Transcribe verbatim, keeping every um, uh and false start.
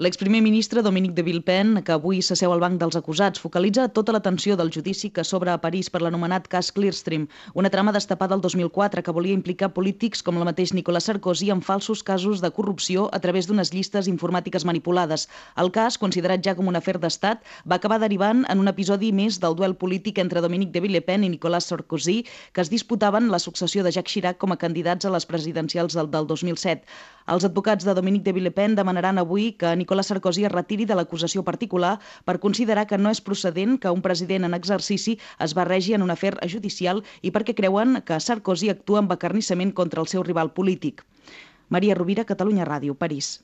L'exprimer ministre Dominique de Villepin, que avui s'asseu al banc dels acusats, focalitza tota l'atenció del judici que s'obre a París per l'anomenat cas Clearstream, una trama destapada el dos mil quatre que volia implicar polítics com el mateix Nicolas Sarkozy en falsos casos de corrupció a través d'unes llistes informàtiques manipulades. El cas, considerat ja com un afer d'estat, va acabar derivant en un episodi més del duel polític entre Dominique de Villepin i Nicolas Sarkozy, que es disputaven la successió de Jacques Chirac com a candidats a les presidencials del, del dos mil set. Els advocats de Dominique de Villepin demanaran avui que Nicolas Sarkozy es retiri de l'acusació particular per considerar que no és procedent que un president en exercici es barregi en un afer judicial i perquè creuen que Sarkozy actua amb acarnissament contra el seu rival polític. Maria Rovira, Catalunya Ràdio, París.